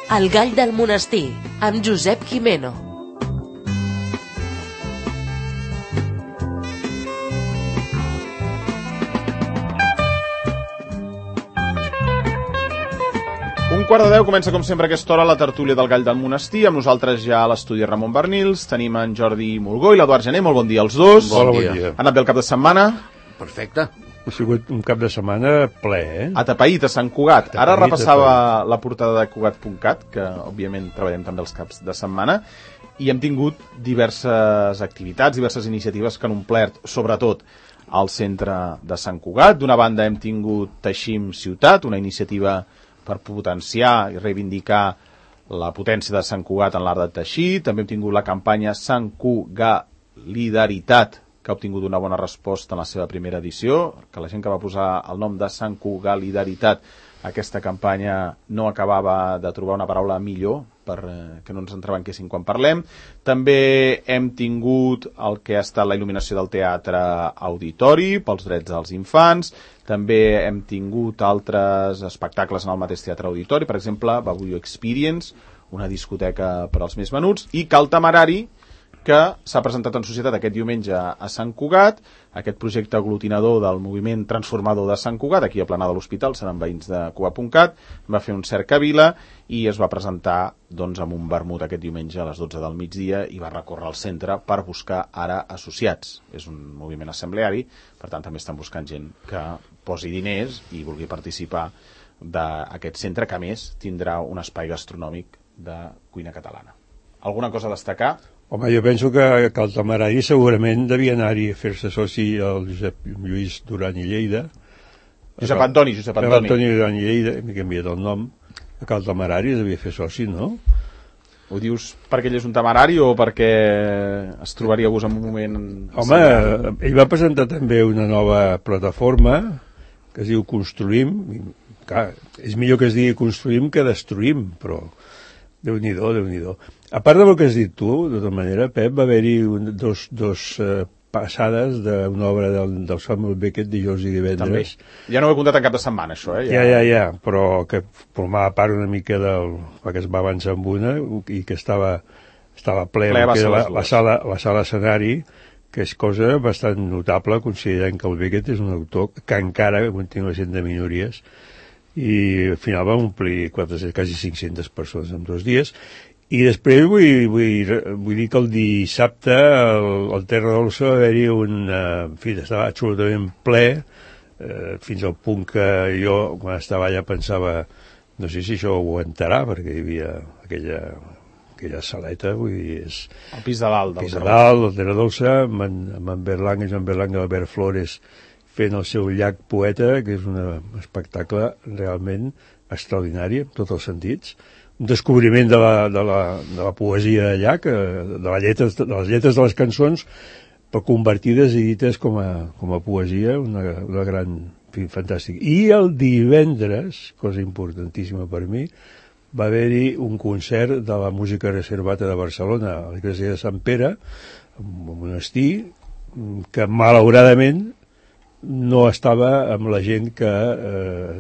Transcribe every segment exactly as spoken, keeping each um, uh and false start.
El gall del monestir, amb Josep Gimeno. Un quart de deu comença, com sempre, a aquesta hora la tertúlia del Gall del Monestir. Amb nosaltres ja a l'estudi Ramon Bernils. Tenim en Jordi Mulgó i l'Eduard Gené. Molt bon dia als dos. Bon dia. Bon dia. Ha anat bé el cap de setmana? Perfecte. Ha sigut un cap de setmana ple, eh? Atapeït, a Sant Cugat. Atapeït, Ara repassava atapeït. La portada de Cugat punt cat, que òbviament treballem també els caps de setmana, i hem tingut diverses activitats, diverses iniciatives que han omplert, sobretot, al centre de Sant Cugat. D'una banda hem tingut Teixim Ciutat, una iniciativa per potenciar i reivindicar la potència de Sant Cugat en l'art de teixir. També hem tingut la campanya Sant Cugalidaritat, que ha obtingut una bona resposta en la seva primera edició, que la gent que va posar el nom de Sant Cugalidaritat, aquesta campanya no acabava de trobar una paraula millor per eh, que no ens entrebanquessin quan parlem. També hem tingut el que ha estat la il·luminació del Teatre Auditori pels drets dels infants. També hem tingut altres espectacles en el mateix Teatre Auditori, per exemple, Babuyo Experience, una discoteca per als més menuts, i Cal Temerari, que s'ha presentat en societat aquest diumenge a Sant Cugat, aquest projecte aglutinador del moviment transformador de Sant Cugat, aquí a Plana de l'Hospital, seran veïns de Cugat punt cat, va fer un cercavila i es va presentar doncs, amb un vermut aquest diumenge a les dotze del migdia i va recórrer al centre per buscar ara associats. És un moviment assembleari, per tant també estan buscant gent que posi diners i vulgui participar d'aquest centre, que a més tindrà un espai gastronòmic de cuina catalana. Alguna cosa a destacar? Home, jo penso que, que el Temerari segurament devia anar-hi a fer-se soci al Josep Lluís Duran i Lleida. Josep Antoni, Josep Antoni. Josep Antoni Duran i Lleida, m'he canviat el nom. Que el Temerari devia fer soci, no? Ho dius perquè ell és un temerari o perquè es trobaria-vos en un moment... Home, ell va presentar també una nova plataforma que es diu Construïm. Clar, és millor que es digui Construïm que Destruïm, però Déu-n'hi-do, Déu-n'hi-do. A part del que has dit tu, de tota manera, Pep, va haver-hi un, dos, dos uh, passades d'una obra del, del Samuel Beckett dijous i divendres. També. Ja no ho he comptat en cap de setmana, això, eh? Ja, ja, ja, però que formava part una mica del... que es va avançar amb una i que estava, estava ple, ple que la, la, sala, la sala escenari, que és cosa bastant notable, considerant que el Beckett és un autor que encara continua sent de minories, i al final va omplir quatre-centes, quasi cinc-centes persones en dos dies. I després vull, vull, vull dir que el dissabte al, al Terra Dolça va haver-hi un... En fi, estava absolutament ple, eh, fins al punt que jo, quan estava allà, pensava no sé si això ho aguantarà, perquè hi havia aquella, aquella saleta, vull dir, és... El pis de dalt. El pis de dalt, el Terra Dolça, amb en, amb en Berlanga, Joan Berlanga, Albert Flores, fent el seu llac poeta, que és un espectacle realment extraordinari, en tots els sentits. Un descobriment de la, de la, de la poesia de llac, de, la lletres, de les lletres de les cançons, però convertides i dites com a, com a poesia, una, una gran... En fi, fantàstic. I el divendres, cosa importantíssima per mi, va haver-hi un concert de la música reservata de Barcelona, a l'església de Sant Pere, un monestir, que malauradament no estava amb la gent que eh,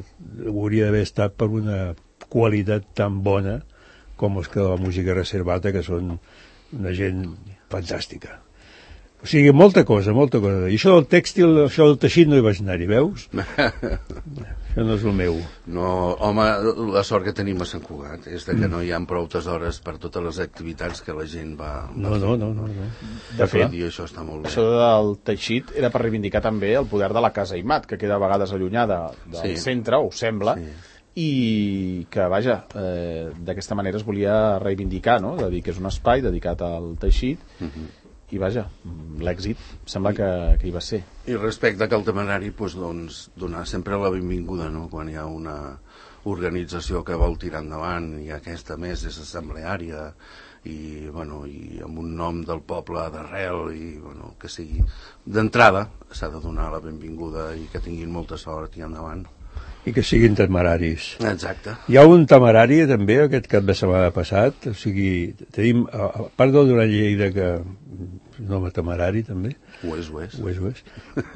hauria d'haver estat per una qualitat tan bona com els que de la música reservata, que són una gent fantàstica. O sigui, molta cosa, molta cosa. I això del tèxtil, això del teixit no hi vaig anar-hi, veus? Això no és el meu. No, home, la sort que tenim a Sant Cugat és de que no hi ha prou hores per totes les activitats que la gent va... No, no, no, no, no. De fet, i això està molt bé. Això del teixit era per reivindicar també el poder de la Casa Aimat, que queda a vegades allunyada del sí. centre, ho sembla, sí. I que, vaja, eh, d'aquesta manera es volia reivindicar, no? De dir que és un espai dedicat al teixit, uh-huh. I vaja, l'èxit sembla que, que hi va ser. I respecte a Cal Temerari, doncs, doncs, donar sempre la benvinguda, no? Quan hi ha una organització que vol tirar endavant, i aquesta més és assembleària, i, bueno, i amb un nom del poble d'arrel, i bueno, que sigui d'entrada, s'ha de donar la benvinguda i que tinguin molta sort i endavant. I que siguin temeraris. Exacte. Hi ha un temerari també aquest cap de setmana passat, o sigui, tenim, a part del Duran Lleida, que un home temerari també. Ho és, ho és. Ho és, ho és.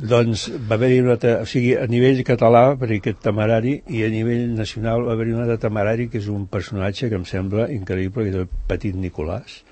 Doncs va haver-hi un altre, o sigui, a nivell català, per aquest temerari, i a nivell nacional va haver-hi un altre temerari, que és un personatge que em sembla increïble, que és el Petit Nicolàs.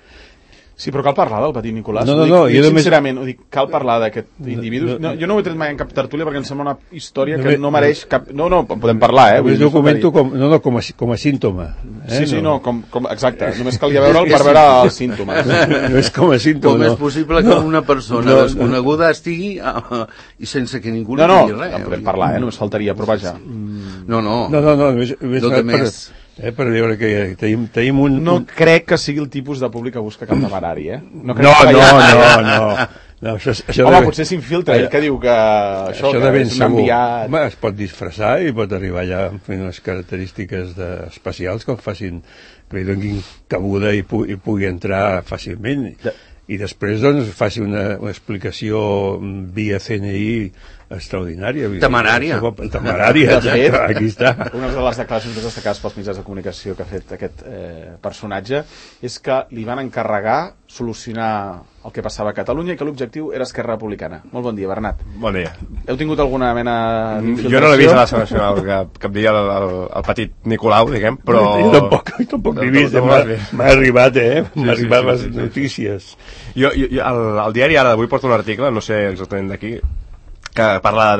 Sí, però cal parlar del Petit Nicolàs. No, no, ho dic, no, ho dic jo només... sincerament, ho dic, cal parlar d'aquest individu. No, jo no ho he tret mai en cap tertúlia perquè em sembla una història que no mereix cap... No, no, en podem parlar, eh? Només ho comento com, no, no, com, a, com a símptoma. Eh? Sí, sí, no, com, com, exacte. Només calia veure'l per veure els símptomes. No és com a símptoma, com no. és possible que una persona no, desconeguda estigui uh, i sense que ningú li no, no, digui res? No, no, podem parlar, eh? Només faltaria, però vaja. No, no. No, no, no, només, només no per, més... Eh, per veure que tenim, tenim un... No un... crec que sigui el tipus de públic que busca cap temerari, eh? No, no, no, no, no. no això, això Home, de... potser s'infiltra, ell que diu que això, això que és un enviat... Home, es pot disfressar i pot arribar allà amb unes característiques de, especials que el facin, que li donin cabuda i, pu i pugui entrar fàcilment. De... I després, doncs, faci una, una explicació via C N I extraordinària. Temerària. Temerària, de fet, aquí està. Una de les declaracions més destacades pels mitjans de comunicació que ha fet aquest eh, personatge és que li van encarregar solucionar el que passava a Catalunya i que l'objectiu era Esquerra Republicana. Molt bon dia, Bernat. Bon dia. Heu tingut alguna mena d'infiltració? Jo no l'he vist a la Assemblea Nacional, que, que em digui el, el, el petit Nicolau, diguem, però... Jo tampoc, jo tampoc l'he vist, m'ha arribat, eh? M'ha arribat les notícies. Jo, jo, el, el diari ara d'avui porta un article, no sé exactament d'aquí, que parla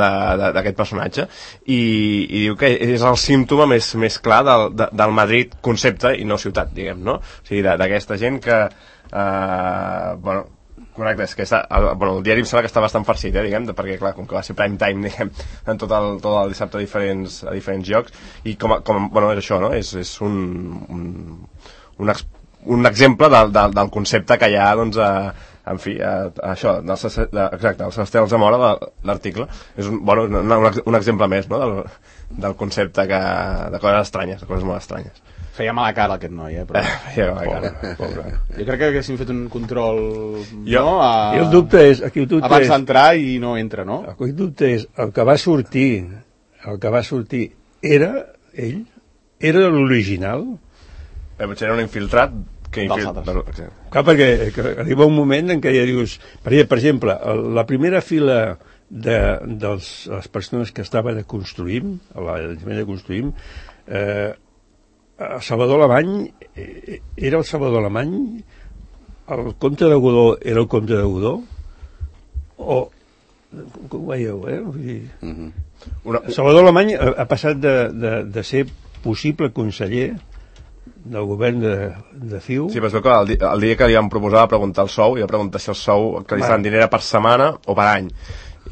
d'aquest personatge i, i diu que és el símptoma més, més clar del, de, del Madrid concepte i no ciutat, diguem, no? O sigui, d'aquesta gent que eh, bueno, correcte, és que està, el, bueno, el diari em sembla que està bastant farcit, eh, diguem, perquè clar, com que va ser prime time, diguem, en tot el, tot el dissabte a diferents, a diferents llocs, i com, a, com bueno, és això, no? És, és un, un, un, ex, un exemple del, del, del concepte que hi ha, doncs, a en fi, a, a això, del, de, exacte, el Sebastià Alzamora de l'article, és un, bueno, un, un exemple més, no?, del, del concepte que, de coses estranyes, de coses molt estranyes. Feia mala cara aquest noi, eh? Però... Feia mala cara, pobre. Jo crec que haguéssim fet un control, jo, no? A... I el dubte és... Aquí el dubte abans d'entrar i no entra, no? El dubte és, el que va sortir, el que va sortir, era ell? Era l'original? Eh, potser era un infiltrat que infil... Bueno, clar, perquè arriba un moment en què ja dius, per exemple, la primera fila de, de les persones que estaven a Construïm, a l'Ajuntament de Construïm, eh, el Salvador Alemany eh, era el Salvador Alemany, el comte de Godó era el comte de Godó, o com ho veieu, eh? Vull dir, uh-huh. Una... Salvador Alemany ha, ha passat de, de, de ser possible conseller del govern de, de C I U. Sí, però es veu que el, el dia que li van proposar va preguntar el sou, i va preguntar si el sou que li estaven dient era per setmana o per any.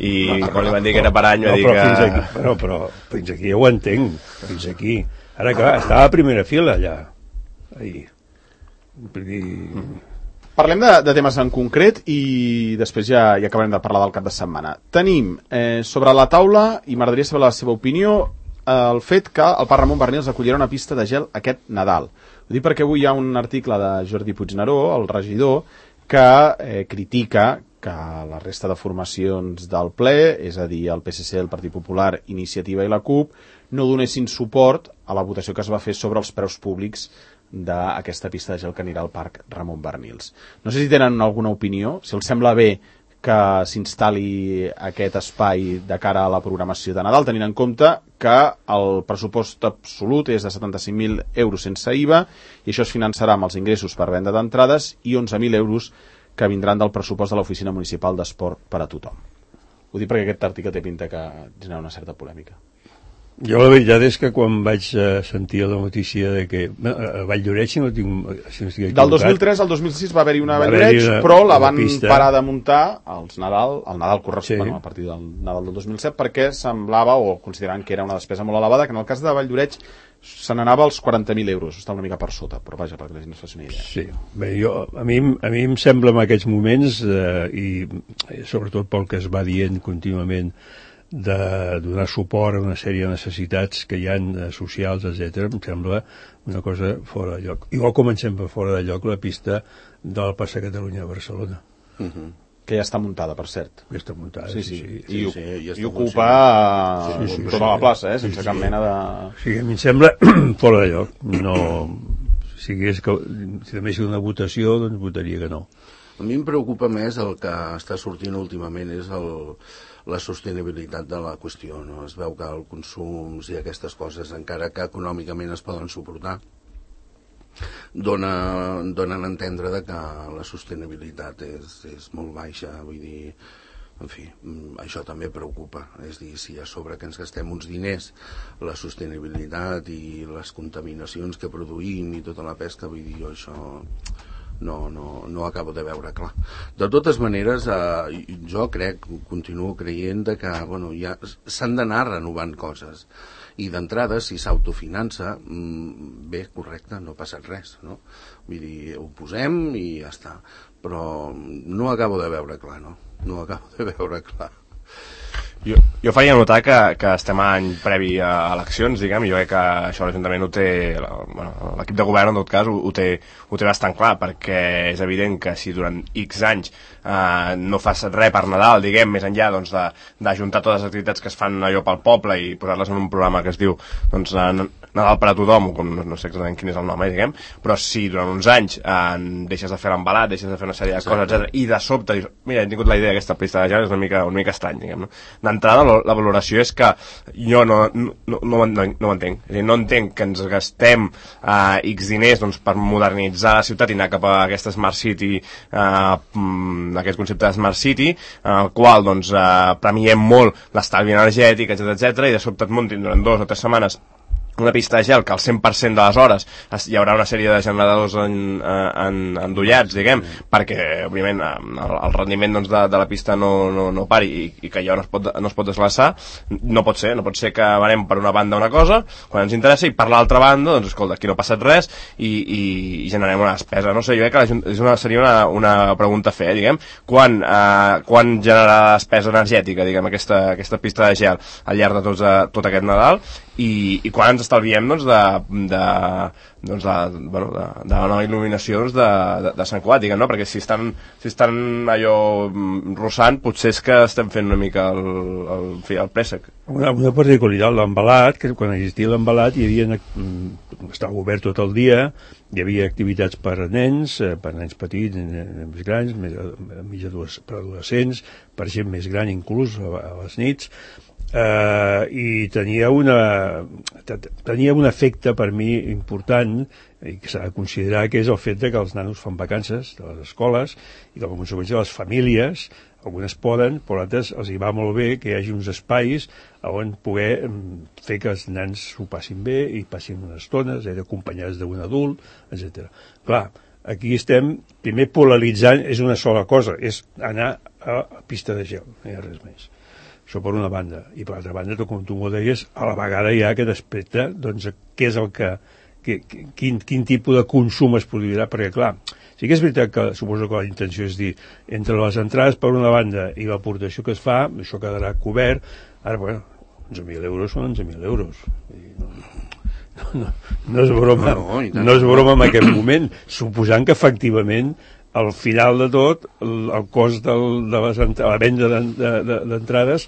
I no, quan li van dir que era per any, va no, dir però que... Fins aquí, però, però fins aquí ja ho entenc, fins aquí. Ara, clar, estava a primera fila, allà. Ahí. Dir... Parlem de, de temes en concret i després ja, ja acabarem de parlar del cap de setmana. Tenim eh, sobre la taula, i m'agradaria saber la seva opinió, el fet que el Parc Ramon Barnils acollirà una pista de gel aquest Nadal. Ho dic perquè avui hi ha un article de Jordi Puigneró, el regidor, que eh, critica que la resta de formacions del ple, és a dir, el P S C, el Partit Popular, Iniciativa i la CUP, no donessin suport a la votació que es va fer sobre els preus públics d'aquesta pista de gel que anirà al Parc Ramon Barnils. No sé si tenen alguna opinió, si els sembla bé que s'instal·li aquest espai de cara a la programació de Nadal, tenint en compte que el pressupost absolut és de setanta-cinc mil euros sense I V A i això es finançarà amb els ingressos per venda d'entrades i onze mil euros que vindran del pressupost de l'Oficina Municipal d'Esport per a tothom. Ho dic perquè aquest article té pinta que genera una certa polèmica. Jo la veritat és que quan vaig uh, sentir la notícia de que a uh, Valldoreix, si no tinc, si no estic equivocat, del dos mil tres al dos mil sis va haver-hi una Valldoreix, però la van pista. parar de muntar als Nadal, al Nadal corresponent, Sí. bueno, a partir del Nadal del dos mil set, perquè semblava, o considerant que era una despesa molt elevada, que en el cas de Valldoreix se n'anava als quaranta mil euros, està una mica per sota, però vaja, perquè la gent es faci una idea. Sí, bé, jo, a, mi, a mi em sembla en aquests moments, eh, i sobretot pel que es va dient contínuament, de donar suport a una sèrie de necessitats que hi ha eh, socials, etcètera, em sembla una cosa fora de lloc. Igual comencem per fora de lloc la pista del Passeig Catalunya a Barcelona. Uh-huh. Que ja està muntada, per cert. Ja està muntada, sí, sí. sí. sí. I, sí, sí, ja i ocupa sí, sí, sí, tota sí, la plaça, eh, sense sí, cap mena de... O sigui, a mi em sembla fora de lloc. No... Si, és que, si també sigui una votació, doncs votaria que no. A mi em preocupa més el que està sortint últimament és el, la sostenibilitat de la qüestió, no? Es veu que el consum i aquestes coses, encara que econòmicament es poden suportar, dona, donen a entendre de que la sostenibilitat és, és molt baixa, vull dir, en fi, això també preocupa, és dir, si a sobre que ens gastem uns diners la sostenibilitat i les contaminacions que produïm i tota la pesca, vull dir, jo això no, no, no acabo de veure clar. De totes maneres, eh, jo crec, continuo creient de que bueno, ja s'han d'anar renovant coses i d'entrada, si s'autofinança, bé, correcte, no ha passat res, no? Vull dir, ho posem i ja està, però no acabo de veure clar, no? No acabo de veure clar. Jo, jo faria notar que, que estem a any previ a eleccions, diguem, i jo crec que això l'Ajuntament ho té, bueno, l'equip de govern en tot cas ho, ho, té, ho té bastant clar, perquè és evident que si durant X anys eh, no fas res per Nadal, diguem, més enllà doncs, de, d'ajuntar totes les activitats que es fan allò pel poble i posar-les en un programa que es diu doncs, Nadal per a tothom, com no, no sé exactament quin és el nom, eh, diguem, però si durant uns anys eh, deixes de fer l'embalat, deixes de fer una sèrie de coses, etcètera, i de sobte dius, mira, he tingut la idea d'aquesta pista de gel, és una mica, una mica estrany, diguem, no? D'entrada, la valoració és que jo no, no, no, no, no ho entenc. És a dir, no entenc que ens gastem uh, X diners doncs, per modernitzar la ciutat i anar cap a aquesta Smart City, uh, aquest concepte de Smart City, al uh, qual doncs, uh, premiem molt l'estalvi energètic, etcètera, etcètera, i de sobte et muntin durant dues o tres setmanes una pista de gel que al cent per cent de les hores hi haurà una sèrie de generadors en, en, endollats, diguem, perquè, òbviament, el, el rendiment doncs, de, de la pista no, no, no pari i, i que allò no es pot, no es pot desglaçar. No pot ser, no pot ser que venem per una banda una cosa, quan ens interessa, i per l'altra banda, doncs, escolta, aquí no ha passat res i, i, i generem una despesa. No sé, jo crec que és una, seria una, una pregunta a fer, diguem, quan, eh, quan generarà despesa energètica, diguem, aquesta, aquesta pista de gel al llarg de tot, tot aquest Nadal, i, i quan ens estalviem doncs, de, de, doncs, de, bueno, de, de la nova il·luminació doncs, de, de, de Sant Cugat, diguem, no? Perquè si estan, si estan allò rossant, potser és que estem fent una mica el, el, el, el préssec. Una, una particularitat, l'embalat, que quan existia l'embalat hi havia, estava obert tot el dia, hi havia activitats per a nens, per a nens petits, nens més grans, més, mig per adolescents, per gent més gran inclús a, a les nits, Uh, i tenia una tenia un efecte per mi important i que s'ha de considerar, que és el fet de que els nanos fan vacances de les escoles i que, com a conseqüència, les famílies, algunes poden, però altres els hi va molt bé que hi hagi uns espais on poder fer que els nens s'ho passin bé i passin unes estones, acompanyats d'un adult, etcètera. Clar, aquí estem, primer polaritzant, és una sola cosa, és anar a pista de gel, no hi ha res més. Això per una banda. I per l'altra banda, com tu m'ho deies, a la vegada hi ha aquest aspecte, doncs, què és el que, que quin, quin tipus de consum es produirà, perquè, clar, sí que és veritat que suposo que la intenció és dir, entre les entrades per una banda i l'aportació que es fa, això quedarà cobert. Ara, bueno, onze mil euros són onze mil euros. No, no, no, no és broma, no, no és broma en aquest moment, suposant que efectivament al final de tot, el, el cost del, de les, la venda d'entrades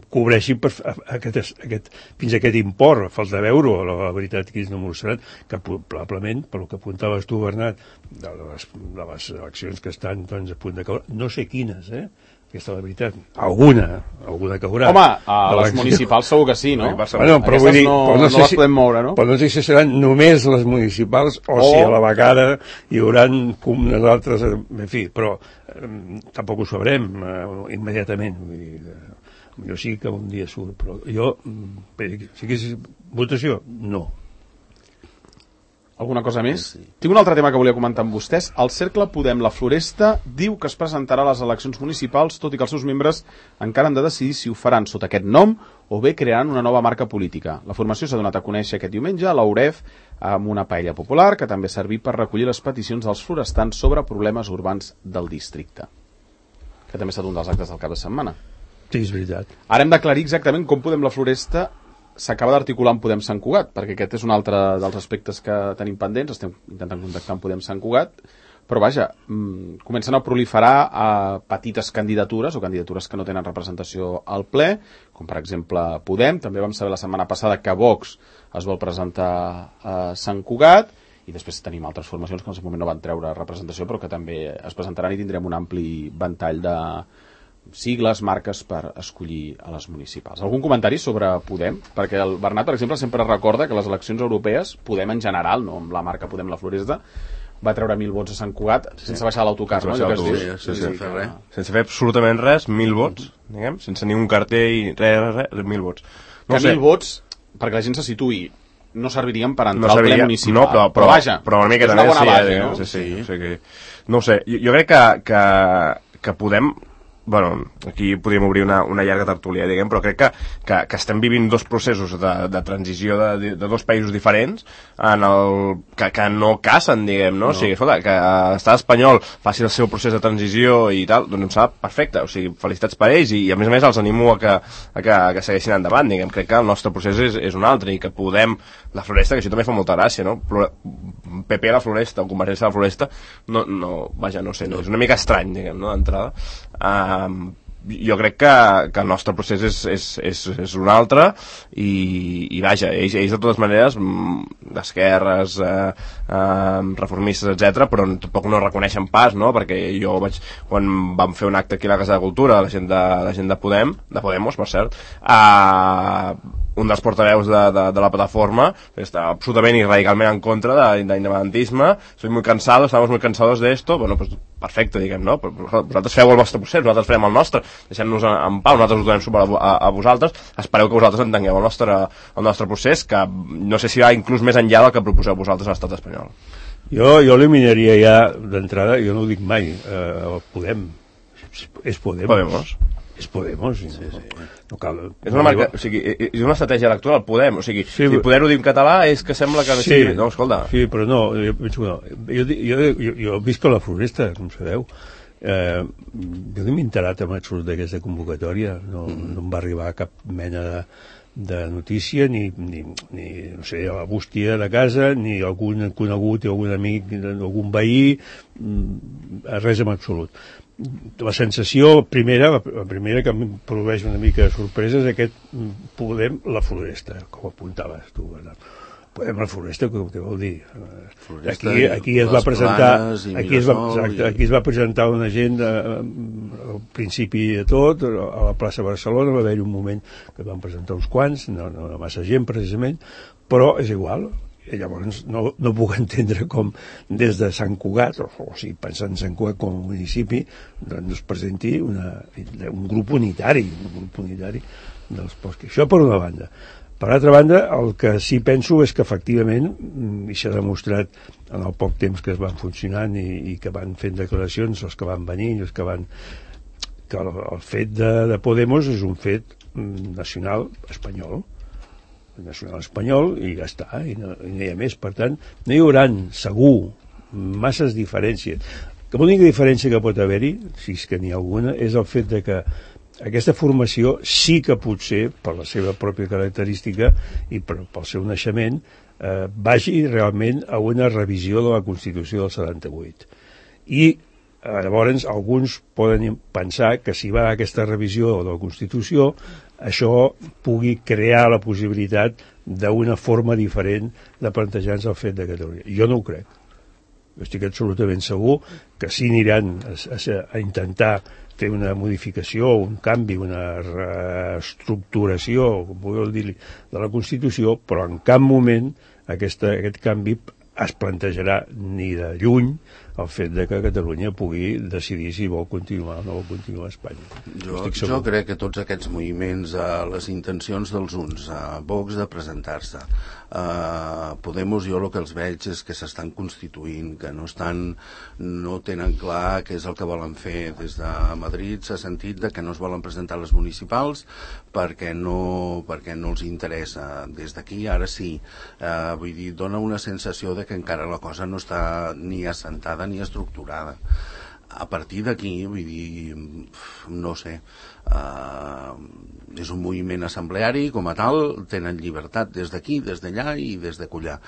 cobreixi per aquest, aquest, fins a aquest import. Falta veure, la, la veritat que és no m'ho sabran, que probablement, per el que apuntaves tu, Bernat, de les, de les eleccions que estan doncs, a punt de caure, no sé quines, eh? Aquesta és la veritat. Alguna, alguna caurà. Home, a les municipals segur que sí, no? Bueno, però vull dir, no, però no, no sé les si, podem moure, no? Però no sé si seran només les municipals o, o si a la vegada hi haurà unes altres, en fi, però eh, tampoc ho sabrem eh, immediatament. Vull dir, eh, jo sí que un dia surt, però jo, si que és votació, no. Alguna cosa més? Sí. Tinc un altre tema que volia comentar amb vostès. El Cercle Podem La Floresta diu que es presentarà a les eleccions municipals, tot i que els seus membres encara han de decidir si ho faran sota aquest nom o bé crearan una nova marca política. La formació s'ha donat a conèixer aquest diumenge a l'Auref amb una paella popular que també ha servit per recollir les peticions dels florestans sobre problemes urbans del districte. Que també ha estat un dels actes del cap de setmana. Sí, és veritat. Ara hem d'aclarir exactament com Podem La Floresta s'acaba d'articular amb Podem Sant Cugat, perquè aquest és un altre dels aspectes que tenim pendents. Estem intentant contactar amb Podem Sant Cugat, però vaja, mmm, comencen a proliferar a petites candidatures o candidatures que no tenen representació al ple, com per exemple Podem. També vam saber la setmana passada que Vox es vol presentar a Sant Cugat, i després tenim altres formacions que en el moment no van treure representació però que també es presentaran i tindrem un ampli ventall de sigles, marques per escollir a les municipals. Algun comentari sobre Podem? Perquè el Bernat, per exemple, sempre recorda que les eleccions europees, Podem en general, no amb la marca Podem la Floresta, va treure mil vots a Sant Cugat sense sí. baixar l'autocar, no? Baixar no? Sí, sí, sí, fer res. Sense fer absolutament res, mil vots, diguem, sense ni un cartell i res, res, res, mil vots. No que sé. Mil vots, perquè la gent se situï, no servirien per entrar no al ple municipal. No, però, però, però vaja, però una mica és una bona sí, base, eh, no? Sí, sí, sí. O sigui, no ho sé, jo, jo crec que, que, que podem... Bueno, aquí podríem obrir una, una llarga tertúlia, diguem, però crec que, que, que estem vivint dos processos de, de transició de, de, de dos països diferents en el, que, que no casen, diguem, no? no? O sigui, escolta, que l'estat espanyol faci el seu procés de transició i tal, doncs em sembla perfecte, o sigui, felicitats per ells i, i a més a més els animo a que, a que, a que segueixin endavant, diguem, crec que el nostre procés és, és un altre i que podem, la Floresta, que això també fa molta gràcia, no? P P a la Floresta o Convergència a la Floresta, no, no, vaja, no sé, no, és una mica estrany, diguem, no?, d'entrada. Um, jo crec que, que el nostre procés és, és, és, és un altre i, i vaja, ells, ells de totes maneres d'esquerres eh, eh, reformistes, etcètera, però tampoc no reconeixen pas, no? Perquè jo vaig, quan vam fer un acte aquí a la Casa de Cultura, la gent de, la gent de Podem, de Podemos, per cert, eh, un dels portaveus de, de, de la plataforma està absolutament i radicalment en contra de, de l'independentisme, soy muy cansado, estamos muy cansados de esto, bueno, pues perfecte, diguem, no? Vosaltres feu el vostre procés, nosaltres farem el nostre, deixem-nos en pau, nosaltres us donem suport a, a, a vosaltres, espereu que vosaltres entengueu el nostre, el nostre procés, que no sé si va inclús més enllà del que proposeu vosaltres a l'estat espanyol. Jo, jo eliminaria ja d'entrada, jo no ho dic mai, eh, Podem, és Podem. Podemos. És Podemos. Sí, sí, sí. No cal, és una marca, o sigui, és una estratègia electoral, Podem, o sigui, sí, si poder-ho dir en català és que sembla que no sí, sigui... No, escolta. Sí, però no, jo, no. Jo, jo, jo, jo visc a la Floresta, com sabeu. Eh, jo no m'he enterat amb absolut d'aquesta convocatòria, no, mm. no em va arribar cap mena de, de notícia, ni, ni, ni, no sé, a la bústia de casa, ni algun conegut, algun amic, algun veí, res en absolut. La sensació primera, la primera que em produeix una mica de sorpresa és aquest Podem la Floresta, com apuntaves tu, Bernat. Podem la Floresta, què vol dir? Floresta, aquí, aquí es va presentar aquí es va, exacte, aquí es va presentar una gent al principi de tot, a la plaça Barcelona va haver-hi un moment que van presentar uns quants, no, no massa gent precisament, però és igual. I llavors no, no puc entendre com des de Sant Cugat, o, o sigui, pensant en Sant Cugat com a municipi, doncs es presenti una, un grup unitari, un grup unitari dels boscs. Això per una banda. Per altra banda, el que sí penso és que efectivament, i s'ha demostrat en el poc temps que es van funcionant i, i que van fent declaracions, els que van venir, els que van... que el, el fet de, de Podemos és un fet nacional espanyol, nacional espanyol, i ja està, i no, i no hi ha més. Per tant, no hi haurà segur masses diferències. L'única diferència que pot haver-hi, si és que n'hi ha alguna, és el fet de que aquesta formació sí que potser, per la seva pròpia característica i per, pel seu naixement, eh, vagi realment a una revisió de la Constitució del setanta-vuit. I eh, llavors alguns poden pensar que si va a aquesta revisió de la Constitució això pugui crear la possibilitat d'una forma diferent de plantejar-nos el fet de Catalunya. Jo no ho crec. Jo estic absolutament segur que sí aniran a, a, a intentar fer una modificació, un canvi, una reestructuració, com vulgueu dir-li, de la Constitució, però en cap moment aquesta, aquest canvi es plantejarà ni de lluny el fet de que Catalunya pugui decidir si vol continuar o no vol continuar a Espanya. Jo, jo crec que tots aquests moviments, eh, les intencions dels uns, a eh, Vox de presentar-se, eh, Podemos, jo el que els veig és que s'estan constituint, que no estan, no tenen clar què és el que volen fer. Des de Madrid s'ha sentit de que no es volen presentar les municipals perquè no, perquè no els interessa. Des d'aquí ara sí, eh, vull dir, dona una sensació de que encara la cosa no està ni assentada ni estructurada. A partir d'aquí, vull dir, no sé, uh, és un moviment assembleari com a tal, tenen llibertat des d'aquí, des d'allà i des de collar.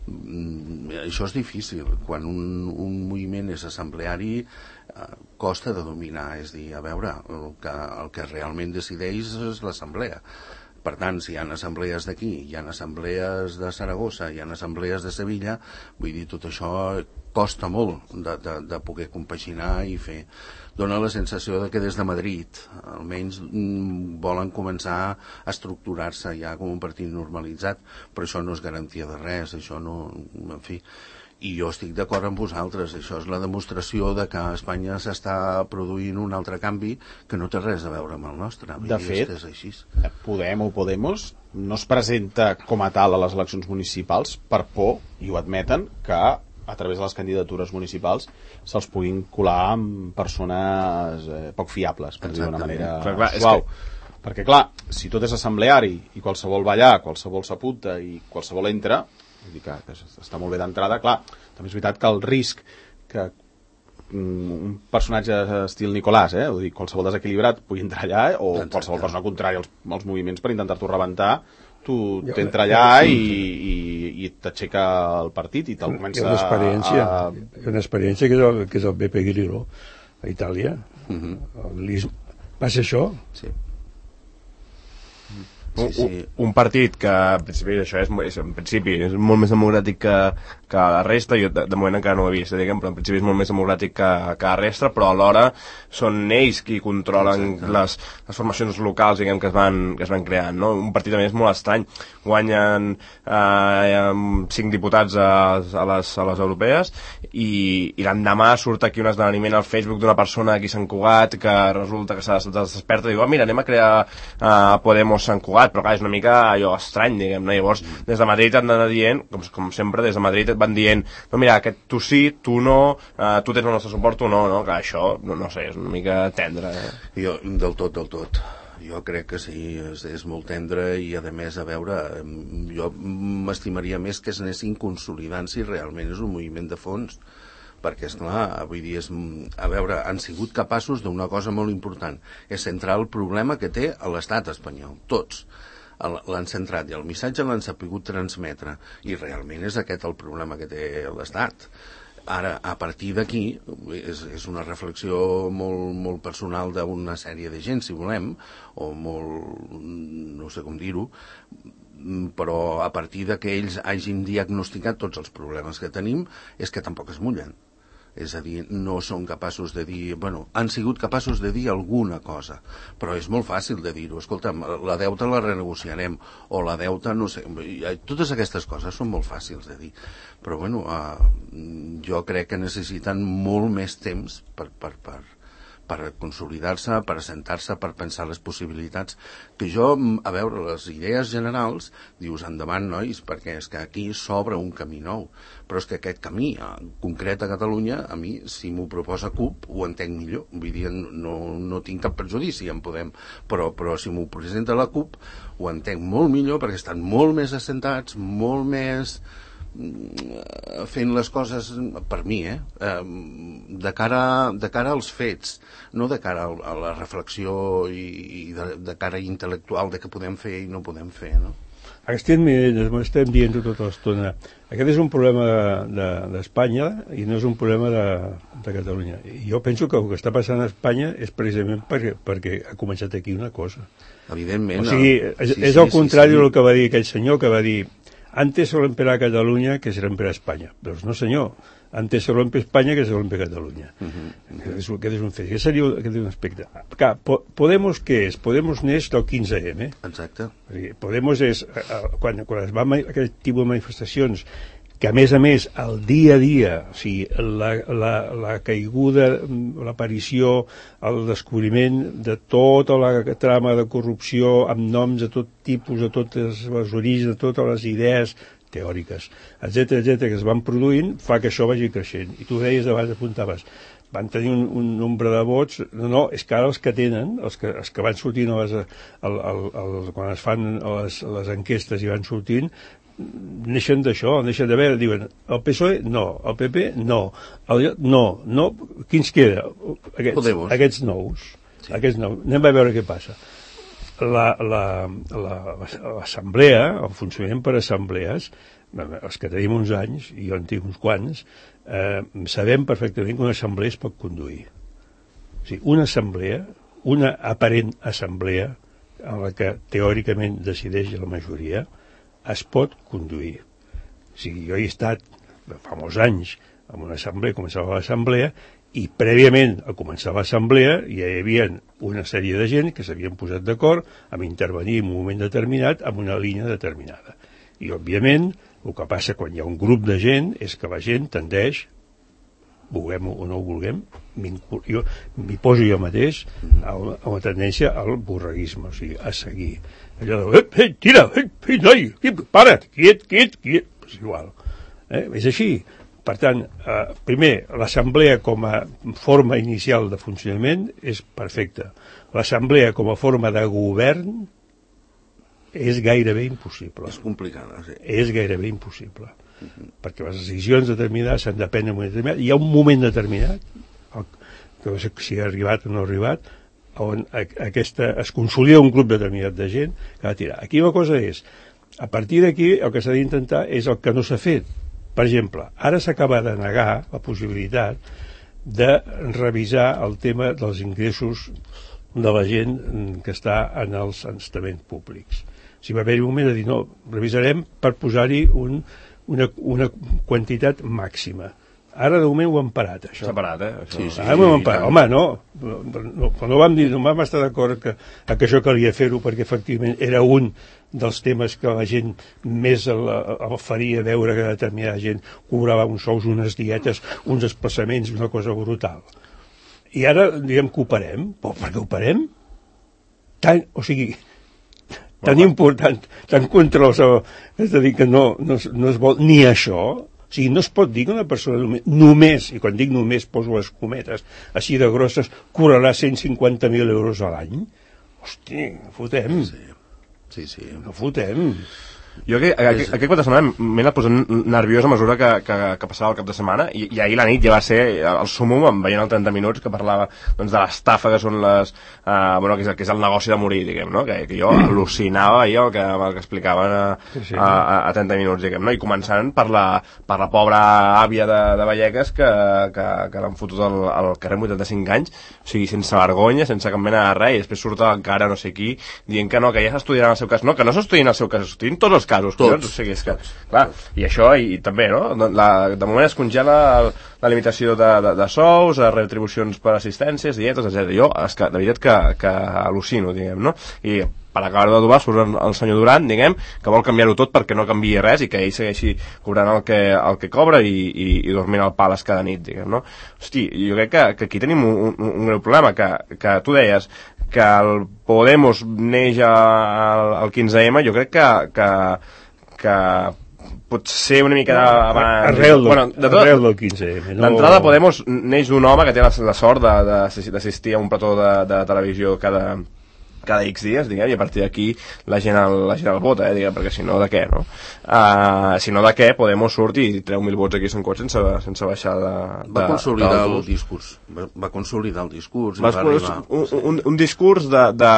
Mm, això és difícil. Quan un, un moviment és assembleari uh, costa de dominar, és dir, a veure, el que, el que realment decideix és l'assemblea. Per tant, si hi ha assemblees d'aquí, hi ha assemblees de Saragossa, hi ha assemblees de Sevilla, vull dir, tot això costa molt de, de, de poder compaginar i fer. Dóna la sensació de que des de Madrid almenys mm, volen començar a estructurar-se ja com un partit normalitzat, però això no és garantia de res, això no, en fi. I jo estic d'acord amb vosaltres, això és la demostració de que a Espanya s'està produint un altre canvi que no té res a veure amb el nostre. De fet, és així. Podem o Podemos no es presenta com a tal a les eleccions municipals per por, i ho admeten, que a través de les candidatures municipals se'ls puguin colar amb persones eh, poc fiables, per dir d'una manera clar, clar, suau. Que... Perquè, clar, si tot és assembleari i qualsevol va allà, qualsevol s'apunta i qualsevol entra, vull dir que, que està molt bé d'entrada, clar, també és veritat que el risc que un personatge estil Nicolàs, eh, vull dir, qualsevol desequilibrat pugui entrar allà, eh, o Exacte. Qualsevol persona contrària als, als moviments per intentar-t'ho rebentar, tu Jo, t'entra allà i, i, i t'aixeca el partit i te'l comença hi ha una experiència, a... hi ha una experiència que és el, que és el Beppe Grillo a Itàlia. Uh-huh. Va ser això? Sí. Un, Sí, sí. un, un partit que en principi això és, és, en principi és molt més democràtic que, que la resta, jo de, de moment encara no ho he vist, diguem, però en principi és molt més democràtic que, que la resta, però alhora són ells qui controlen les, les formacions locals, diguem, que es van, que es van creant, no? Un partit a més molt estrany, guanyen eh, cinc diputats a, a, les, a les europees i, i l'endemà surt aquí un esdeveniment al Facebook d'una persona aquí a Sant Cugat que resulta que s'ha desperta i diu, oh, mira, anem a crear eh, Podemos Sant Cugat, però clar, és una mica allò estrany, diguem, no? Llavors, des de Madrid han d'anar dient, com, com sempre, des de Madrid van dient, no, mira, aquest tu sí, tu no, uh, tu tens el nostre suport, tu no, no? Clar, això, no, no sé, és una mica tendre. Eh? Jo, del tot, del tot. Jo crec que sí, és, és molt tendre i, a més, a veure, jo m'estimaria més que es anessin consolidant si realment és un moviment de fons, perquè, esclar, vull dir, és, a veure, han sigut capaços d'una cosa molt important, és centrar el problema que té a l'estat espanyol, tots l'han centrat i el missatge l'han sapigut transmetre, i realment és aquest el problema que té l'estat. Ara, a partir d'aquí, és, és una reflexió molt, molt personal d'una sèrie de gent, si volem, o molt, no sé com dir-ho, però a partir de que ells hagin diagnosticat tots els problemes que tenim, és que tampoc es mullen. És a dir, no són capaços de dir... Bueno, han sigut capaços de dir alguna cosa, però és molt fàcil de dir-ho. Escolta'm, la deuta la renegociarem, o la deuta, no sé... Totes aquestes coses són molt fàcils de dir. Però, bueno, eh, jo crec que necessiten molt més temps per... per, per per consolidar-se, per assentar-se, per pensar les possibilitats, que jo, a veure, les idees generals, dius, endavant, nois, perquè és que aquí s'obre un camí nou, però és que aquest camí, concret a Catalunya, a mi, si m'ho proposa C U P, ho entenc millor, vull dir, no, no tinc cap perjudici en Podem, però, però si m'ho presenta la C U P, ho entenc molt millor, perquè estan molt més assentats, molt més... fent les coses per mi, eh? de cara, de cara als fets, no de cara a la reflexió i, i de, de cara intel·lectual de què podem fer i no podem fer, no? Estem, estem dient tota l'estona, aquest és un problema d'Espanya de, de, i no és un problema de, de Catalunya. I jo penso que el que està passant a Espanya és precisament perquè, perquè ha començat aquí una cosa. Evidentment. O sigui, és, sí, és sí, el contrari sí, sí. del que va dir aquell senyor que va dir antes se rompera a Catalunya que se rompera a Espanya. Doncs no, senyor. Antes se rompe Espanya que se rompe Catalunya. Uh-huh. Aquest és, aquest és un fet. Aquest seria aquest és un aspecte. Clar, Podemos què és? Podemos neix del quinze eme. Exacte. Podemos és, quan, quan es va aquest tipus de manifestacions, que a més a més, el dia a dia, o sigui, la, la, la caiguda, l'aparició, el descobriment de tota la trama de corrupció amb noms de tot tipus, de tots els orígens, de totes les idees teòriques, etcètera, etcètera, que es van produint, fa que això vagi creixent. I tu deies abans, apuntaves, van tenir un, un nombre de vots, no, no, és que ara els que tenen, els que, els que van sortint a les, al, al, al, quan es fan les, les enquestes i van sortint, neixen d'això, neixen de veure, diuen el P S O E no, el P P no, el, no, no, quins queda? Aquests, aquests nous, sí. Aquests nous, anem a veure què passa. L'assemblea, la, la, el funcionament per assemblees, els que tenim uns anys, i jo en tinc uns quants, eh, sabem perfectament que una assemblea es pot conduir. O sigui, una assemblea, una aparent assemblea, en la que teòricament decideix la majoria, es pot conduir. O sigui, jo he estat fa molts anys en una assemblea, començava l'assemblea, i prèviament a començar l'assemblea ja hi havia una sèrie de gent que s'havien posat d'acord en intervenir en un moment determinat amb una línia determinada. I, òbviament, el que passa quan hi ha un grup de gent és que la gent tendeix, vulguem o no ho vulguem, jo m'hi poso jo mateix a una tendència al borreguisme, o sigui, a seguir. Allò de, ei, ei, tira, ei, ei, noi, para't, quiet, quiet, quiet, és igual. Eh? És així. Per tant, eh, primer, l'assemblea com a forma inicial de funcionament és perfecta. L'assemblea com a forma de govern és gairebé impossible. És complicada, sí. És gairebé impossible. Uh-huh. Perquè les decisions determinades s'han de prendre en un moment determinat. Hi ha un moment determinat, el, que no sé si ha arribat o no ha arribat, on aquesta, es consolida un grup determinat de gent que ha de tirar. Aquí la cosa és, a partir d'aquí el que s'ha d'intentar és el que no s'ha fet. Per exemple, ara s'acaba de negar la possibilitat de revisar el tema dels ingressos de la gent que està en els estaments públics. O sigui, va haver-hi un moment de dir, no, revisarem per posar-hi un, una, una quantitat màxima. Ara, de moment, ho hem parat, això. S'ha parat, eh? Això. Sí, sí, ara ho hem parat. Home, no. no quan no vam dir, no vam estar d'acord que, que això calia fer-ho, perquè, efectivament, era un dels temes que la gent més el, el faria veure que determinada gent cobrava uns sous, unes dietes, uns desplaçaments, una cosa brutal. I ara diem que ho parem. Però per què ho parem? Tan, o sigui, tan important, tan contra el... És a dir, que no, no, no es vol ni això. O sigui, no es pot dir que una persona només, només, i quan dic només poso les cometes així de grosses, cobrarà cent cinquanta mil euros a l'any. Hosti, no fotem. Sí, sí. sí. No fotem. Jo aquest, aquest, aquest cap de setmana m'he anat posant nerviós a mesura que, que, que passava el cap de setmana i, i ahir la nit ja va ser el súmum veient el trenta minuts que parlava doncs, de l'estafa que són les uh, bueno, que és, que és el negoci de morir, diguem, no? que, que jo al·lucinava ahir el que, el que explicaven a, sí, sí. a, a trenta minuts, diguem, no? I començant per la, per la pobra àvia de, de Vallecas que, que, que l'han fotut al, al carrer amb vuitanta-cinc anys, o sigui, sense vergonya, sense cap mena de res, i després surt encara no sé qui dient que no, que ja s'estudiarà el seu cas. No, que no s'estudien el seu cas, s'estudien tots els casos, tots. O sigui, és que, clar, i això, i, i també, no? La, de moment es congela el, la limitació de, de, de sous, retribucions per assistències, dietes, etcètera. Jo, és que, de veritat que, que al·lucino, diguem, no? I per acabar de dobar, surt el senyor Duran, diguem, que vol canviar-ho tot perquè no canviï res i que ell segueixi cobrant el que, el que cobra i, i, i dormint al pales cada nit, diguem, no? Hosti, jo crec que, que aquí tenim un, un, un greu problema, que, que tu deies que el Podemos neix al quinze ema, jo crec que, que, que pot ser una mica abans... Arrel, bueno, de tot, arrel del quinze ema. No... D'entrada Podemos neix d'un home que té la, la sort d'assistir a un plató de, de televisió cada... cada X dies, diguem, i a partir d'aquí la gent el, la gent el vota, eh, diguem, perquè si no, de què, no? Uh, si no, de què, Podemos surt i treu mil vots aquí a Sant Cot sense, sense baixar de... de va consolidar de, el discurs, va, va consolidar el discurs. Va, va arribar, un, un, un discurs de, de...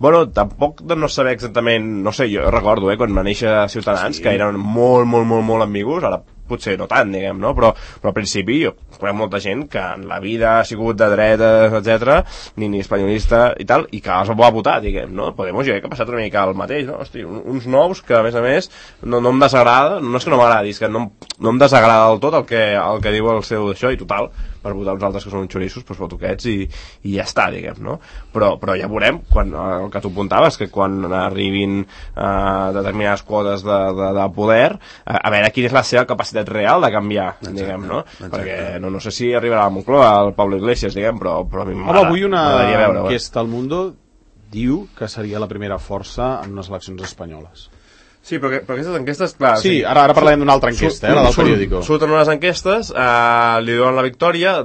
Bueno, tampoc de no saber exactament, no sé, jo recordo, eh, quan va néixer Ciutadans, sí. que eren molt, molt, molt, molt ambigus, ara potser no tant, diguem, no? Però, però al principi jo conec molta gent que en la vida ha sigut de dretes, etcètera, ni, ni espanyolista i tal, i que els va votar, diguem, no? Podemos, jo crec que ha passat una mica el mateix, no? Hosti, uns nous que, a més a més, no, no em desagrada, no és que no m'agradi, és que no, no em desagrada del tot el que, el que diu el seu d'això, i total, per votar uns altres que són uns xorissos, doncs voto aquests i, i ja està, diguem, no? Però, però ja veurem, quan, el que tu apuntaves, que quan arribin eh, determinades quotes de, de, de poder, a, a veure quina és la seva capacitat real de canviar, exacte, diguem, no? Exacte. Perquè no, no sé si arribarà a Moncloa el Pablo Iglesias, diguem, però, però a mi m'agrada. Home, avui una enquesta al Mundo diu que seria la primera força en unes eleccions espanyoles. Sí, però, que, però aquestes enquestes, clar... Sí, sí ara, ara parlem d'una altra enquesta, eh, la del periòdico. Surten unes enquestes, eh, li donen la victòria,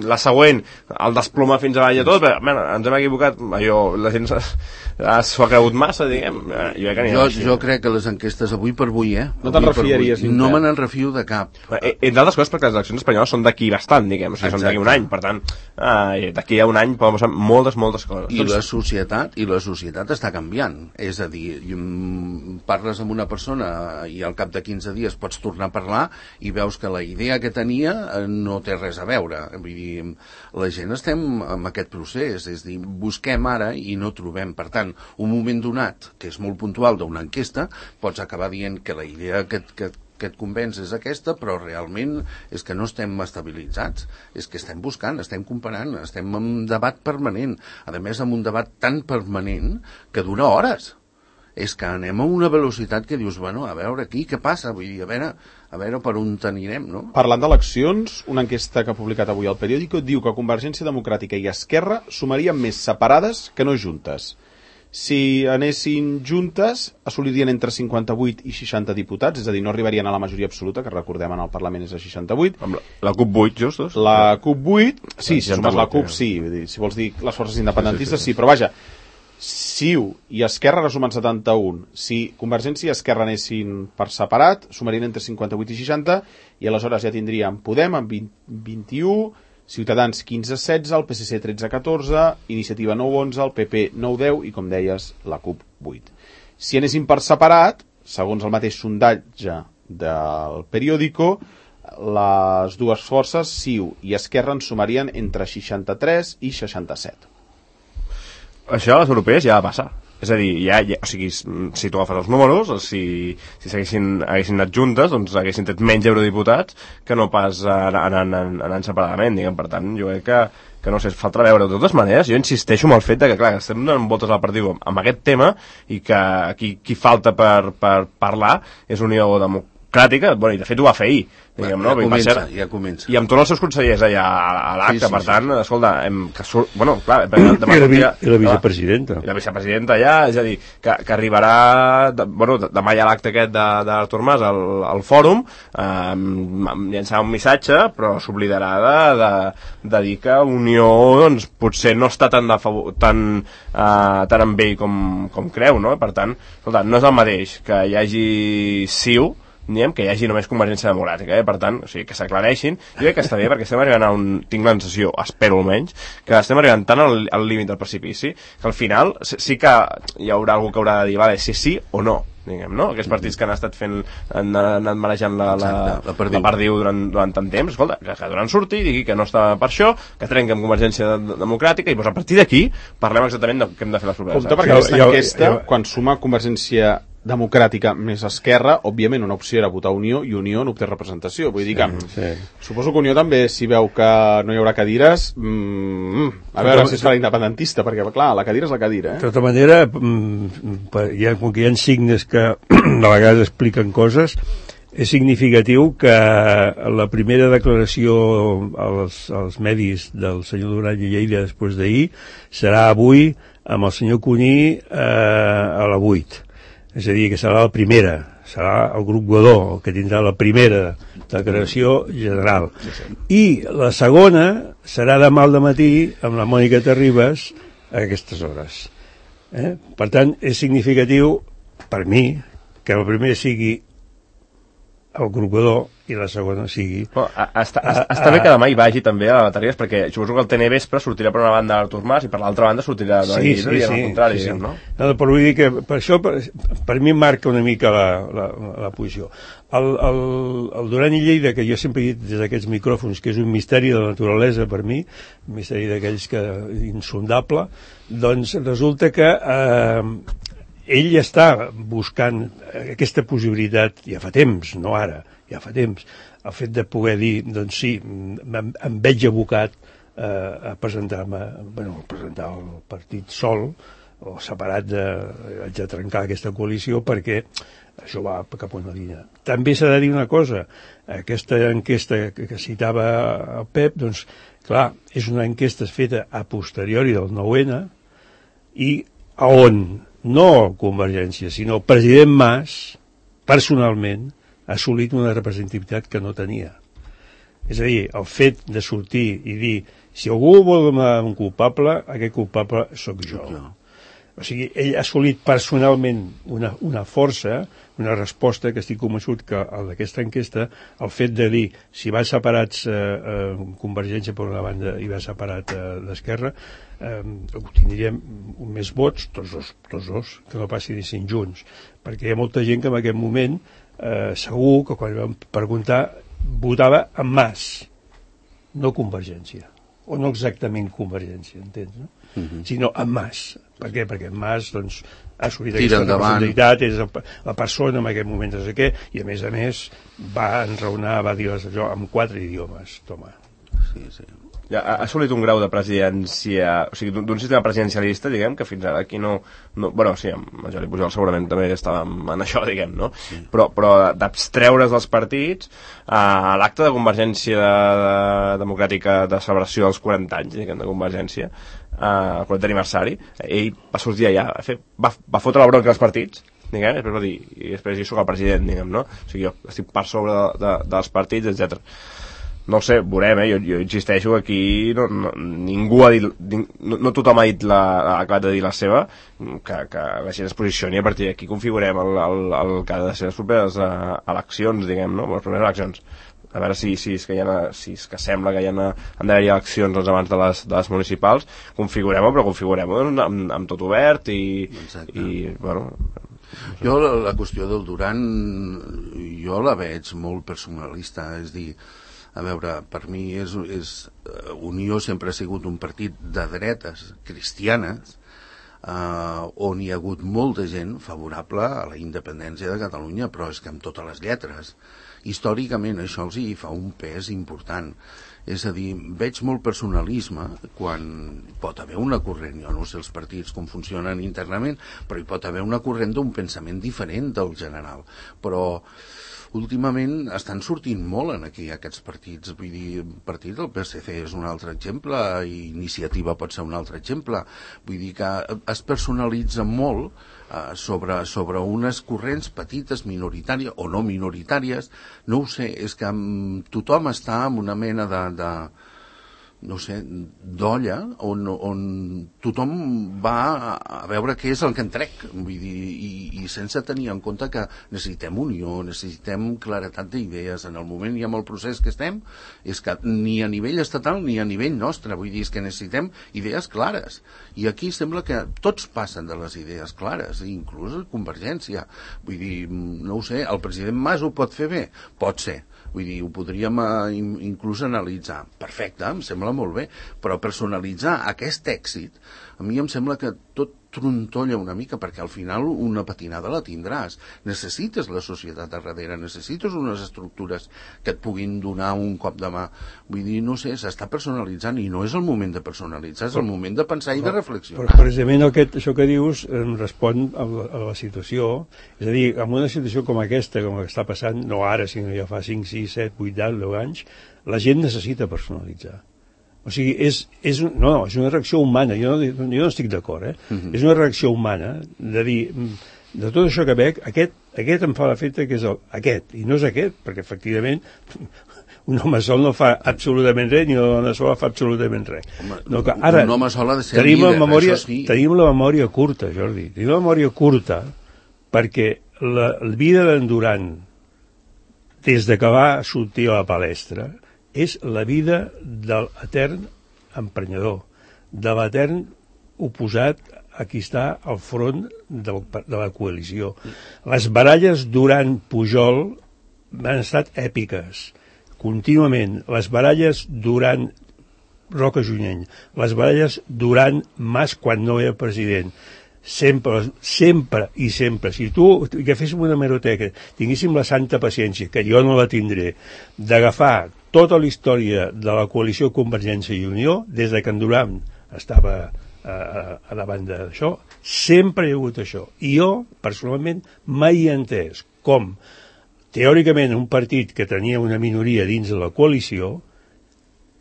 la següent el desploma fins avall a tot, però, mena, ens hem equivocat, allò, la gent s'ho ha cregut massa, diguem. Jo, jo, jo crec que les enquestes avui per avui, eh? No te'n refiaries? No me n'en refio de cap. Eh, entre altres coses, perquè les eleccions espanyoles són d'aquí bastant, diguem, o sigui, són d'aquí un any, per tant, eh, d'aquí a un any poden passar moltes, moltes coses. I la societat, i la societat està canviant, és a dir, parles amb amb una persona i al cap de quinze dies pots tornar a parlar i veus que la idea que tenia no té res a veure. Vull dir, la gent estem en aquest procés, és a dir, busquem ara i no trobem. Per tant, un moment donat, que és molt puntual d'una enquesta, pots acabar dient que la idea que, que que et convenç és aquesta, però realment és que no estem estabilitzats, és que estem buscant, estem comparant, estem en un debat permanent, a més amb un debat tan permanent que dura hores. És que anem a una velocitat que dius, bueno, a veure aquí què passa, vull dir, a veure, a veure per on t'anirem, no? Parlant d'eleccions, una enquesta que ha publicat avui al Periódico diu que Convergència Democràtica i Esquerra sumarien més separades que no juntes. Si anessin juntes, assolirien entre cinquanta-vuit i seixanta diputats, és a dir, no arribarien a la majoria absoluta, que recordem en el Parlament és a seixanta-vuit. Amb la, la CUP vuit, justos? La CUP vuit, sí, si sumes la CUP, sí, vull dir, si vols dir les forces independentistes, sí, sí, sí, sí, però vaja, C I U i Esquerra resumen setanta-un. Si Convergència i Esquerra anessin per separat, sumarien entre cinquanta-vuit i seixanta, i aleshores ja tindríem Podem amb vint, vint-i-u, Ciutadans quinze setze, el P S C tretze catorze, Iniciativa nou onze, el P P nou deu i, com deies, la CUP vuit. Si anessin per separat, segons el mateix sondatge del Periódico, les dues forces, C I U i Esquerra, en sumarien entre seixanta-tres i seixanta-set. Això a les europees ja va passar. És a dir, ja, ja, o sigui, si tu agafes els números, si, si s'haguessin haguessin anat juntes, doncs haguessin tret menys eurodiputats que no pas anant, anant, anant separadament, diguem. Per tant, jo crec que, que no sé, falta veure. De totes maneres, jo insisteixo amb el fet de que, clar, estem donant voltes al partit amb aquest tema i que aquí qui falta per, per parlar és Unió Democràtica, bueno, i de fet ho va fer ahir, diguem, ja, no? Comença, ser, ja comença. I amb tots els seus consellers allà a l'acte, sí, sí, per tant, sí. Escolta, hem, que surt, bueno, clar... I la, vi, i la vicepresidenta. I la vicepresidenta allà, és a dir, que, que arribarà, de, bueno, demà hi ha l'acte aquest de, de l'Artur Mas al, al fòrum, eh, llançarà un missatge, però s'oblidarà de, de, de dir que Unió, doncs, potser no està tan, de favor, tan, eh, tan amb ell com, com creu, no? Per tant, escolta, no és el mateix que hi hagi C I U, diguem, que hi hagi només Convergència Democràtica, eh? Per tant, o sigui, que s'aclareixin. Jo crec que està bé, perquè estem arribant a un... tinc la sensació, espero almenys, que estem arribant tant al, al límit del precipici, que al final sí que hi haurà algú que haurà de dir, vale, si sí o no, diguem, no? Aquests partits que han estat fent, han anat manejant la, la, Exacte, la, perdiu. la perdiu durant, durant tant temps, escolta, que, que durant surti, digui que no està per això, que trenqui amb Convergència Democràtica, i doncs a partir d'aquí parlem exactament de què hem de fer les properes. Compte, perquè aquesta enquesta, quan suma Convergència Democràtica més Esquerra, òbviament una opció era votar Unió, i Unió no obté representació. Vull dir que sí, sí. Suposo que Unió també, si veu que no hi haurà cadires, mm, a veure si es farà independentista, perquè clar, la cadira és la cadira, eh? De tota manera, hi ha, com que hi ha signes que de vegades expliquen coses, és significatiu que la primera declaració als, als medis del senyor Duran i Lleida després d'ahir serà avui amb el senyor Cuní eh, a la vuit. És a dir, que serà la primera, serà el grup Godó el que tindrà la primera declaració general. I la segona serà demà al dematí amb la Mònica Terribas a aquestes hores. Eh? Per tant, és significatiu, per mi, que la primera sigui el grup Godó i la segona sigui... Oh, està, a, està bé que demà hi vagi també a la Terribas, perquè suposo que el T N vespre sortirà per una banda Artur Mas i per l'altra banda sortirà sí, sí, sí, al contrari, sí, sí. no? No, però vull dir que per això per, per mi marca una mica la, la, la posició. El, el, el Duran i Lleida, que jo sempre he dit des d'aquests micròfons que és un misteri de la naturalesa per mi, un misteri d'aquells que insondable, doncs resulta que eh, ell està buscant aquesta possibilitat ja fa temps, no ara, ja fa temps, el fet de poder dir, doncs sí, em, em veig abocat eh, a presentar-me, bueno, a presentar el partit sol o separat de, haig de trencar aquesta coalició perquè això va cap a una línia. També s'ha de dir una cosa, aquesta enquesta que, que citava el Pep, doncs, clar, és una enquesta feta a posteriori del nou ene i a on no Convergència, sinó el president Mas, personalment, ha assolit una representativitat que no tenia. És a dir, el fet de sortir i dir si algú vol donar un culpable, aquest culpable sóc jo. O sigui, ell ha assolit personalment una, una força, una resposta que estic convençut que d'aquesta enquesta, el fet de dir si va separats eh, eh, Convergència per una banda i va separat eh, d'Esquerra, eh, obtindríem més vots, tots dos, tots dos, que no passi dissin junts, perquè hi ha molta gent que en aquest moment eh, segur que quan vam preguntar votava en Mas, no Convergència, o no exactament Convergència, entens, no? Uh-huh. Sinó en Mas. Per què? Perquè en Mas doncs, ha assolit aquesta representativitat, és el, la persona en aquest moment, no sé què, i a més a més va enraonar, va dir allò en quatre idiomes, toma. Sí, sí. Ja, ha assolit un grau de presidència, o sigui, d'un sistema presidencialista, diguem, que fins ara aquí no... no bueno, sí, amb Jordi Pujol segurament també estàvem en això, diguem, no? Sí. Però, però d'abstreure's dels partits, a l'acte de Convergència de, democràtica de celebració dels quaranta anys, diguem, de Convergència, el quarantè aniversari, ell va sortir allà, va, fer, va, va fotre la bronca als partits, diguem, després va dir, i després jo soc el president, diguem, no? O sigui, jo estic per sobre de, de, dels partits, etcètera. No sé, veurem, eh? jo, jo insisteixo aquí, no, no, ningú ha dit, no, no tothom ha dit la, ha acabat de dir la seva, que, que la gent es posicioni, a partir d'aquí configurem el, el, el que ha de ser les properes uh, eleccions, diguem, no? Les properes eleccions. A veure si, si, és que hi ha, si és que sembla que hi ha, han d'haver-hi eleccions doncs, abans de les, de les municipals, configurem-ho, però configurem-ho doncs, amb, amb tot obert i, i bueno... Jo la, la qüestió del Duran, jo la veig molt personalista, és dir, a veure, per mi és, és, Unió sempre ha sigut un partit de dretes cristianes, eh, on hi ha hagut molta gent favorable a la independència de Catalunya, però és que amb totes les lletres. Històricament això els hi fa un pes important. És a dir, veig molt personalisme quan pot haver una corrent, jo no sé els partits com funcionen internament, però hi pot haver una corrent d'un pensament diferent del general. Però últimament estan sortint molt en aquí aquests partits, vull dir, el partit del P S C és un altre exemple, i Iniciativa pot ser un altre exemple, vull dir que es personalitza molt eh, sobre, sobre unes corrents petites, minoritàries o no minoritàries, no ho sé, és que amb, tothom està en una mena de... de no sé, d'olla on, on tothom va a veure què és el que en trec, vull dir, i, i sense tenir en compte que necessitem unió, necessitem claretat d'idees. En el moment i amb el procés que estem, és que ni a nivell estatal ni a nivell nostre, vull dir, és que necessitem idees clares. I aquí sembla que tots passen de les idees clares, inclús la Convergència. Vull dir, no ho sé, el president Mas ho pot fer bé? Pot ser. Vull dir, ho podríem uh, inclús analitzar. Perfecte, em sembla molt bé, però personalitzar aquest èxit, a mi em sembla que tot trontolla una mica, perquè al final una patinada la tindràs. Necessites la societat a darrere, necessites unes estructures que et puguin donar un cop de mà. Vull dir, no sé, s'està personalitzant i no és el moment de personalitzar, és el moment de pensar i de reflexionar. Però precisament aquest, això que dius em respon a la, a la situació, és a dir, en una situació com aquesta, com la que està passant, no ara, sinó ja fa cinc, sis, set, vuit, deu anys, la gent necessita personalitzar. O sigui, és, és, no, és una reacció humana, jo no, jo no estic d'acord, eh? Uh-huh. És una reacció humana de dir, de tot això que veig, aquest, aquest em fa l'efecte que és el, aquest, i no és aquest, perquè efectivament un home sol no fa absolutament res, ni una dona sola fa absolutament res. Home, no, que ara un home sol ha de ser tenim, líder, memòria, això sí. Tenim la memòria curta, Jordi, tenim la memòria curta perquè la, la vida d'en Duran, des de que va sortir a la palestra, és la vida de l'etern emprenyador, de l'etern oposat a qui està al front de, de la coalició. Les baralles durant Pujol han estat èpiques, contínuament. Les baralles durant Roca Junyent, les baralles durant Mas quan no era president, sempre, sempre i sempre. Si tu agaféssim una hemeroteca, tinguéssim la santa paciència, que jo no la tindré, d'agafar tota la història de la coalició Convergència i Unió, des de que en Duran estava a, a davant d'això, sempre hi ha hagut això. I jo, personalment, mai he entès com, teòricament, un partit que tenia una minoria dins de la coalició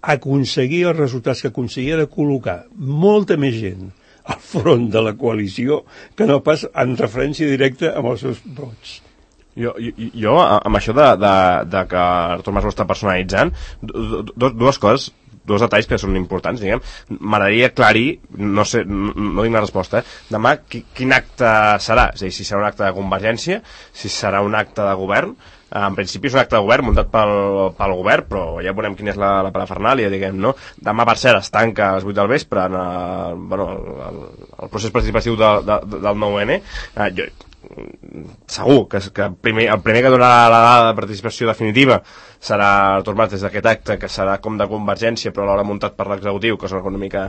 aconseguia els resultats que aconseguia de col·locar molta més gent al front de la coalició que no pas en referència directa amb els seus vots. Jo, jo, jo amb això de, de, de que Artur Mas ho està personalitzant, do, do, dues coses, dos detalls que són importants, diguem. M'agradaria aclarir, no sé, no, no tinc la resposta, eh? Demà qui, quin acte serà? És a dir, si serà un acte de Convergència, si serà un acte de govern. En principi és un acte de govern muntat pel, pel govern, però ja veurem quina és la, la parafernàlia, diguem, no? Demà, per cert, es tanca a les vuit del vespre en el, bueno, el, el procés participatiu de, de, del nou N. Eh, jo, segur que, que primer, el primer que donarà la dada de participació definitiva serà Artur Mas des d'aquest acte, que serà com de Convergència però alhora muntat per l'executiu, que és una mica,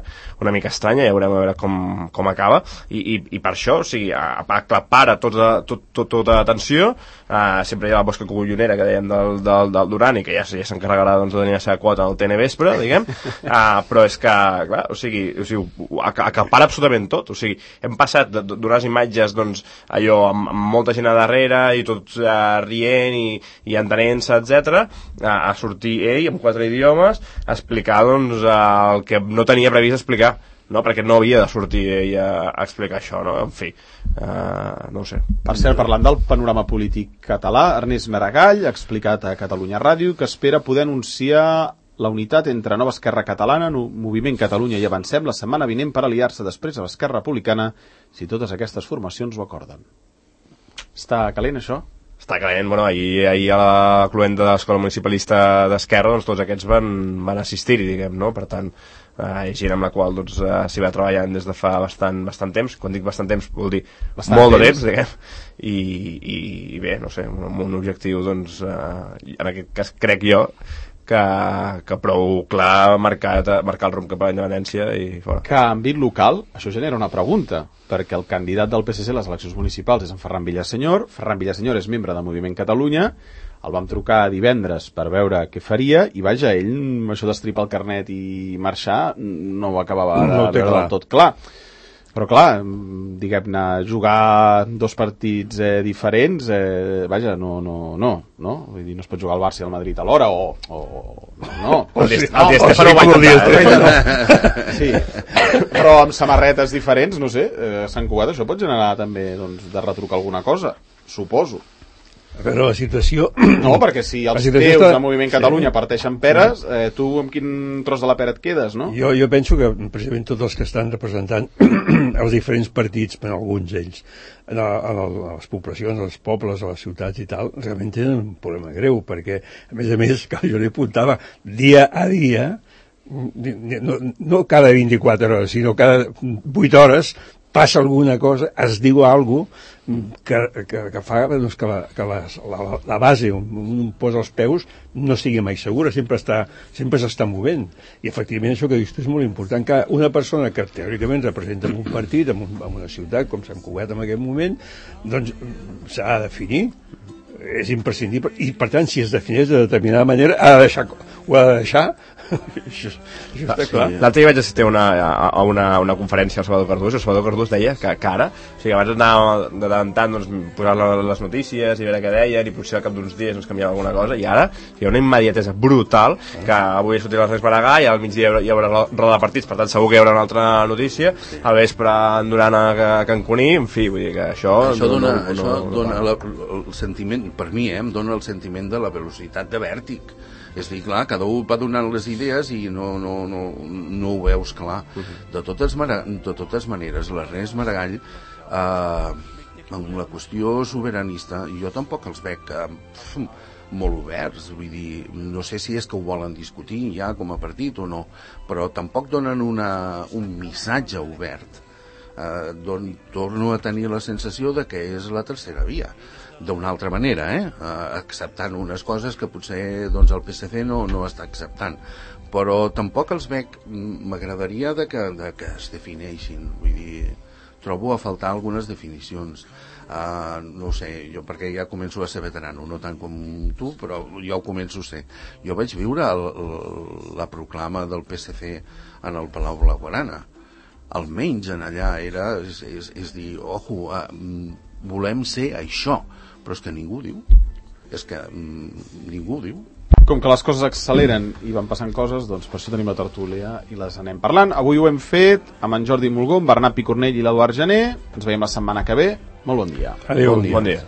una mica estranya, ja veurem a veure com, com acaba, i, i, i per això, o sigui, aclapara tota, tot, tot, tota atenció, uh, sempre hi ha la bosca collonera que dèiem del, del, del Duran, i que ja, ja s'encarregarà doncs, de tenir la seva quota al T N vespre, diguem, uh, però és que, clar, o sigui, o sigui acapara absolutament tot, o sigui, hem passat d'unes imatges, doncs, allò, amb, amb molta gent a darrere, i tots uh, rient i, i entenent-se, etcètera, a, a sortir ell amb quatre idiomes a explicar doncs el que no tenia previst explicar, no? Perquè no havia de sortir ell a, a explicar això, no? En fi, uh, no ho sé. Per cert, parlant del panorama polític català, Ernest Maragall ha explicat a Catalunya Ràdio que espera poder anunciar la unitat entre Nova Esquerra Catalana, Moviment Catalunya i Avancem la setmana vinent per aliar-se després a l'Esquerra Republicana si totes aquestes formacions ho acorden. Està calent, això? Està calent, bueno, ahir, ahir a la cluenda de l'Escola Municipalista d'Esquerra, doncs tots aquests van, van assistir-hi, diguem, no? Per tant, eh, gent amb la qual doncs, eh, s'hi va treballant des de fa bastant, bastant temps. Quan dic bastant temps vol dir bastant molt temps. de temps, diguem. I, i, i bé, no sé, un, un objectiu, doncs, eh, en aquest cas crec jo, que, que prou clar marcat, marcar el rumb cap a la independència i fora. Que en àmbit local, això genera una pregunta, perquè el candidat del P S C a les eleccions municipals és en Ferran Villasenyor. Ferran Villasenyor és membre del Moviment Catalunya, el vam trucar divendres per veure què faria, i vaja, ell, això d'estripar el carnet i marxar, no ho acabava de no veure del tot clar. Però clar, diguem-ne, jugar dos partits eh, diferents, eh, vaja, no, no, no, no, vull dir, no es pot jugar al Barça i al Madrid alhora, o, o no. El Estefano ho va intentar. Sí, però amb samarretes diferents, no sé, eh, a Sant Cugat això pot generar també, doncs, de retrucar alguna cosa, suposo. A veure, la situació... No, perquè si els teus està... de Moviment Catalunya sí. parteixen peres, eh, tu amb quin tros de la pera et quedes, no? Jo, jo penso que precisament tots els que estan representant els diferents partits, per alguns d'ells, a, a, a les poblacions, als pobles, a les ciutats i tal, realment tenen un problema greu, perquè, a més a més, que jo li apuntava, dia a dia, no, no cada vint-i-quatre hores, sinó cada vuit hores, passa alguna cosa, es diu alguna cosa que, que, que fa doncs, que, la, que la, la, la base on un posa els peus no sigui mai segura, sempre està sempre s'està movent, i efectivament això que dius és molt important, que una persona que teòricament representa un partit en, un, en una ciutat com Sant Cugat en aquest moment, doncs s'ha de definir, és imprescindible, i per tant si es defineix de determinada manera ha de deixar, ho ha de deixar això, això està clar. L'altre dia vaig assistir a una, a una, una conferència al Salvador Cardús, i el Salvador Cardús deia que, que ara, o sigui, abans anava de tant en tant doncs, posar les notícies i veure què deien, i potser al cap d'uns dies ens canviava alguna cosa, i ara hi ha una immediatesa brutal, que avui ha sortit l'Ernest Maragall, al migdia hi haurà roda de partits, per tant segur que hi haurà una altra notícia, al vespre en Duran a Cancuní, en fi, vull dir que això... Això dona, no, no, això no, no dona la, el sentiment, per mi, eh, em dona el sentiment de la velocitat de vèrtic. És dir, clar, cada un va donant les idees i no, no, no, no ho veus clar. De totes, de totes maneres, l'Ernest Maragall, eh, en la qüestió sobiranista, jo tampoc els veig eh, molt oberts, vull dir, no sé si és que ho volen discutir ja com a partit o no, però tampoc donen una, un missatge obert. Eh, don, torno a tenir la sensació de que és la tercera via. D'una altra manera, eh? Uh, acceptant unes coses que potser doncs, el P S C no, no està acceptant, però tampoc els veig, m'agradaria de que, de que es defineixin, vull dir, trobo a faltar algunes definicions, uh, no sé, jo perquè ja començo a ser veterano, no tant com tu, però jo ho començo a ser. Jo vaig viure el, el, la proclama del P S C en el Palau Blaugrana, almenys en allà era, és, és, és dir, ojo, uh, volem ser això, però és que ningú diu, és que mm, ningú diu. Com que les coses acceleren i van passant coses, doncs per això tenim la tertúlia i les anem parlant. Avui ho hem fet amb en Jordi Mulgó, en Bernat Picornell i l'Eduard Gené. Ens veiem la setmana que ve. Molt bon dia. Adéu, bon dia. Bon dia.